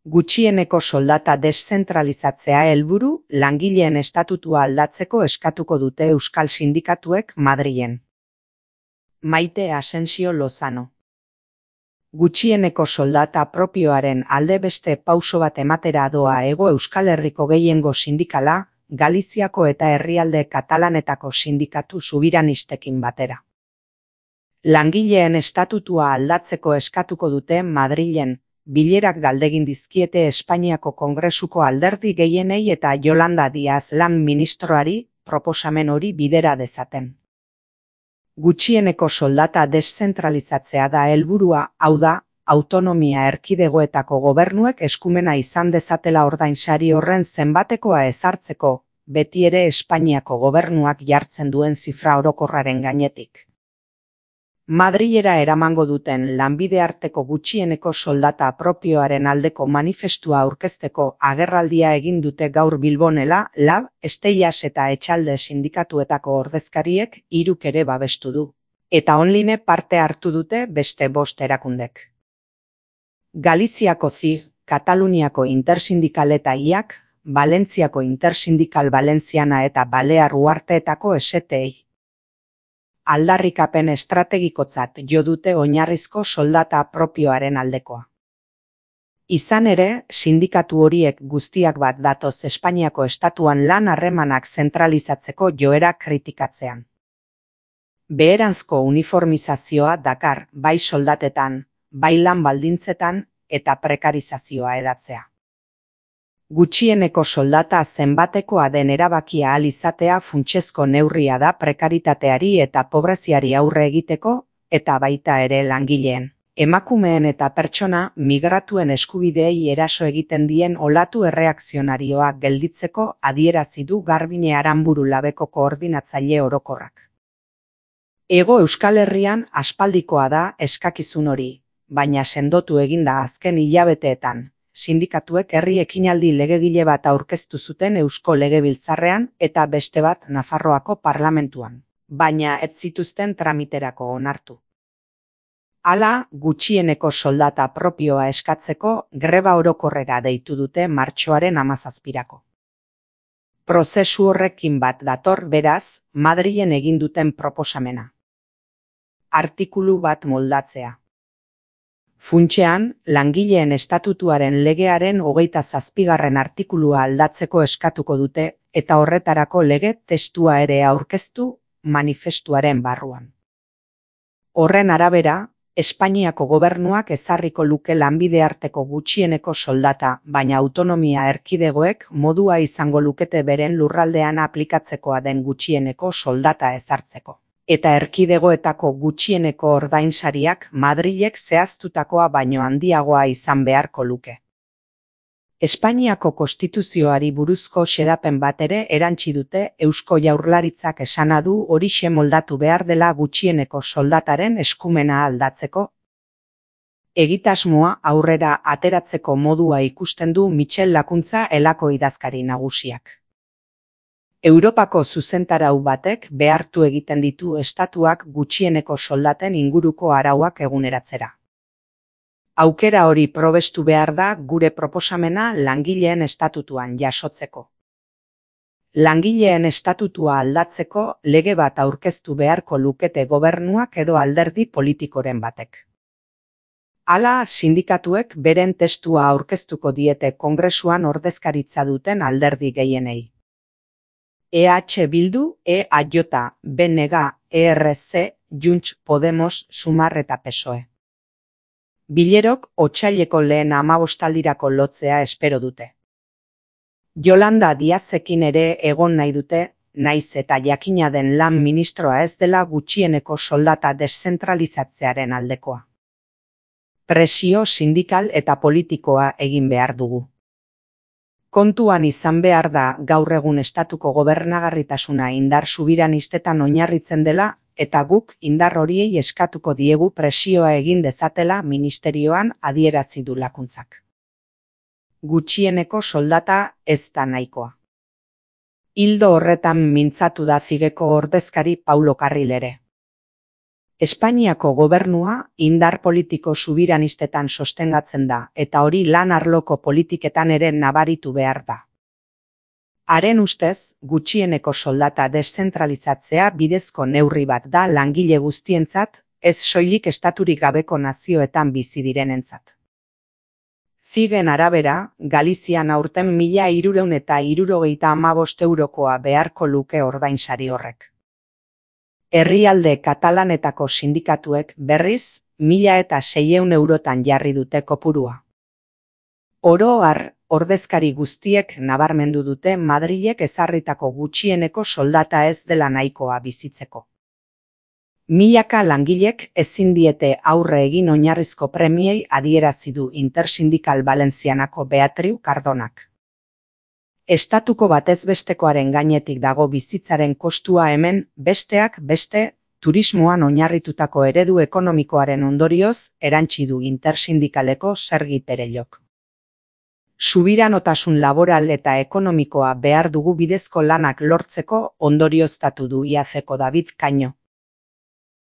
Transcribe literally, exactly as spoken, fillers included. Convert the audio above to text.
Gutxieneko soldata deszentralizatzea helburu, langileen estatutua aldatzeko eskatuko dute euskal sindikatuek Madrilen. Maite Asensio Lozano. Gutxieneko soldata propioaren alde beste pauso bat ematera doa Hego Euskal Herriko gehiengo sindikala, Galiziako eta herrialde katalanetako sindikatu subiranistekin batera. Langileen estatutua aldatzeko eskatuko dute Madrilen, bilerak galdegin dizkiete Espainiako Kongresuko alderdi gehienei eta Yolanda Díaz lan ministroari proposamen hori bidera dezaten. Gutxieneko soldata deszentralizatzea da helburua, hau da, autonomia erkidegoetako gobernuek eskumena izan dezatela ordainsari horren zenbatekoa ezartzeko, beti ere Espainiako gobernuak jartzen duen zifra orokorraren gainetik. Madrilera eramango duten lanbide arteko gutxieneko soldata propioaren aldeko manifestua aurkezteko agerraldia egin dute gaur Bilbonela, Lab, Esteilas eta Etxalde sindikatuetako ordezkariek hiruk ere babestu du. Eta online parte hartu dute beste bost erakundek. Galiziako C I G, Kataluniako Intersindikal eta I A K, Valentziako Intersindikal Valenciana eta Balear Uharteetako S T I. Aldarrikapen estrategikotzat jo dute oinarrizko soldata propioaren aldekoa. Izan ere, sindikatu horiek guztiak bat datoz Espainiako estatuan lan harremanak zentralizatzeko joera kritikatzean. Beheranzko uniformizazioa dakar bai soldatetan, bai lan baldintzetan eta prekarizazioa edatzea. Gutxieneko soldata zenbatekoa den erabakia ahal izatea funtsezko neurria da prekaritateari eta pobreziari aurre egiteko, eta baita ere langileen, emakumeen eta pertsona migratuen eskubideei eraso egiten dien olatu erreakzionarioa gelditzeko adierazi du Garbine Aranburu Labeko koordinatzaile orokorrak. Hego Euskal Herrian aspaldikoa da eskakizun hori, baina sendotu eginda azken hilabeteetan. Sindikatuek herri ekinaldi legegile bat aurkeztu zuten Eusko Legebiltzarrean eta beste bat Nafarroako parlamentuan, baina ez zituzten tramiterako onartu. Hala, gutxieneko soldata propioa eskatzeko greba orokorrera deitu dute martxoaren hamazazpirako. Prozesu horrekin bat dator beraz, Madrilen egin duten proposamena. Artikulu bat moldatzea. Funtsean, langileen estatutuaren legearen hogeita zazpigarren artikulua aldatzeko eskatuko dute eta horretarako lege testua ere aurkeztu manifestuaren barruan. Horren arabera, Espainiako gobernuak ezarriko luke lanbide arteko gutxieneko soldata, baina autonomia erkidegoek modua izango lukete beren lurraldean aplikatzekoa den gutxieneko soldata ezartzeko. Eta erkidegoetako gutxieneko ordainsariak Madrilek zehaztutakoa baino handiagoa izan beharko luke. Espainiako konstituzioari buruzko xedapen bat ere erantsi dute Eusko Jaurlaritzak esana du horixe moldatu behar dela gutxieneko soldataren eskumena aldatzeko. Egitasmoa aurrera ateratzeko modua ikusten du Michel Lakuntza elako idazkari nagusiak. Europako zuzentarau batek behartu egiten ditu estatuak gutxieneko soldaten inguruko arauak eguneratzera. Aukera hori probestu behar da gure proposamena langileen estatutuan jasotzeko. Langileen estatutua aldatzeko lege bat aurkeztu beharko lukete gobernuak edo alderdi politikoren batek. Hala, sindikatuek beren testua aurkeztuko diete Kongresuan ordezkaritza duten alderdi gehienei. E H Bildu, E A J, B N G, E R C, Junts, Podemos, Sumar eta P S O E. Bilerok otsaileko lehen hamabostaldirako lotzea espero dute. Yolanda Díazekin ere egon nahi dute, naiz eta jakina den lan ministroa ez dela gutxieneko soldata deszentralizatzearen aldekoa. Presio sindikal eta politikoa egin behar dugu. Kontuan izan behar da gaur egun estatuko gobernagarritasuna indar subiranistetan oinarritzen dela eta guk indar horiei eskatuko diegu presioa egin dezatela ministerioan adierazi du Lakuntzak. Gutxieneko soldata ez da nahikoa. Ildo horretan mintzatu da Cigeko ordezkari Paulo Carril ere. Espainiako gobernua indar politiko subiranistetan sostengatzen da eta hori lan arloko politiketan ere nabaritu behar da. Haren ustez, gutxieneko soldata deszentralizatzea bidezko neurri bat da langile guztientzat, ez soilik estaturik gabeko nazioetan bizi direnentzat. Zigen arabera, Galizian aurten mila hirurehun eta hirurogeita hamabost eurokoa beharko luke ordainsari horrek. Herrialde katalanetako sindikatuek berriz, mila eta seiehun eurotan jarri dute kopurua. Oro har, ordezkari guztiek nabarmendu dute Madrilek ezarritako gutxieneko soldata ez dela nahikoa bizitzeko. Milaka langilek ezin diete aurre egin oinarrizko premiei adierazi du Intersindikal Valentzianako Beatriu Cardonak. Estatuko batezbestekoaren gainetik dago bizitzaren kostua hemen, besteak beste, turismoan oinarritutako eredu ekonomikoaren ondorioz erantsi du Intersindikaleko Sergi Perellok. Subiranotasun laboral eta ekonomikoa behar dugu bidezko lanak lortzeko ondorioztatu du I A Ceko David Caño.